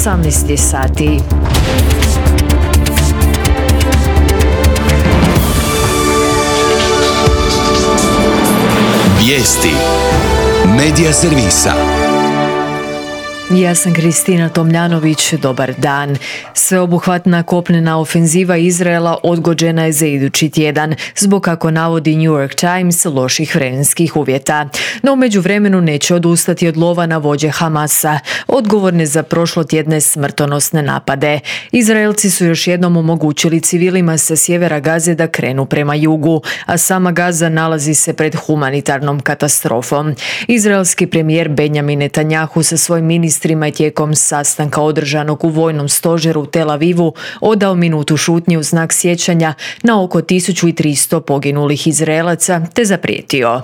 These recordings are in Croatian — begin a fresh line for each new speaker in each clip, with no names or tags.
18 sati.
Vijesti Medija servisa.
Ja sam Kristina Tomljanović, dobar dan. Sveobuhvatna kopnena ofenziva Izraela odgođena je za idući tjedan, zbog, kako navodi New York Times, loših vremenskih uvjeta. No u međuvremenu neće odustati od lova na vođe Hamasa, odgovorne za prošlotjedne smrtonosne napade. Izraelci su još jednom omogućili civilima sa sjevera Gaze da krenu prema jugu, a sama Gaza nalazi se pred humanitarnom katastrofom. Izraelski premijer Benjamin Netanjahu sa svojim ministrima je tijekom sastanka održanog u vojnom stožeru u Tel Avivu odao minutu šutnje u znak sjećanja na oko 1300 poginulih Izraelaca te zaprijetio: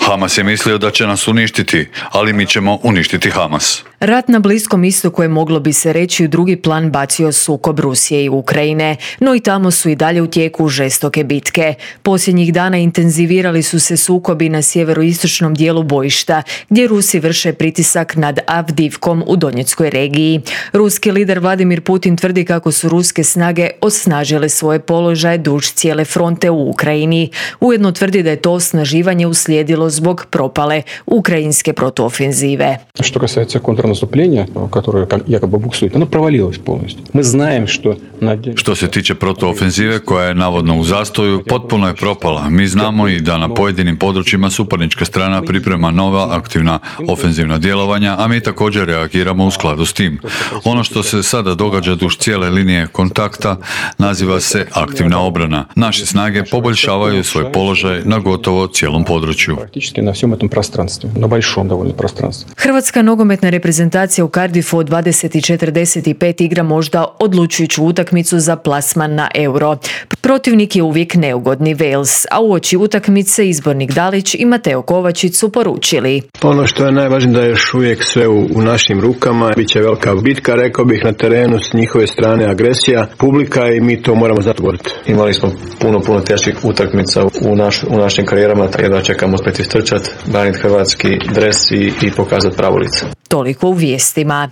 Hamas je mislio da će nas uništiti, ali mi ćemo uništiti Hamas.
Rat na Bliskom istoku je, moglo bi se reći, u drugi plan bacio sukob Rusije i Ukrajine, no i tamo su i dalje u tijeku žestoke bitke. Posljednjih dana intenzivirali su se sukobi na sjeveroistočnom dijelu bojišta, gdje Rusi vrše pritisak nad Avdivkom u Donjeckoj regiji. Ruski lider Vladimir Putin tvrdi kako su ruske snage osnažile svoje položaje duž cijele fronte u Ukrajini. Ujedno tvrdi da je to osnaživanje uslijedilo zbog propale ukrajinske protuofenzive.
Što касается контрнаступления, которое якобы буксует, оно провалилось полностью. Мы знаем, что
Što se tiče protuofenzive koja je navodno u zastoju, potpuno je propala. Mi znamo i da na pojedinim područjima suparnička strana priprema nova aktivna ofenzivna djelovanja, a mi također reagiramo u skladu s tim. Ono što se sada događa duž cijele linije kontakta naziva se aktivna obrana. Naše snage poboljšavaju svoj položaj na gotovo cijelom području.
Hrvatska nogometna reprezentacija u Cardiffu od 20:45 igra možda odlučujuću utakmicu za plasman na Euro. Protivnik je uvijek neugodni Wales, a uoči utakmice izbornik Dalić i Mateo Kovačić su poručili:
Ono što je najvažnije da je još uvijek sve u našim rukama. Biće velika bitka, rekao bih, na terenu, s njihove strane agresija, publika, i mi to moramo zatvoriti.
Imali smo puno teških utakmica u našim karijerama, jedva čekamo spet istrčati, braniti hrvatski dres i pokazati pravo lice.
Toliko u vijestima.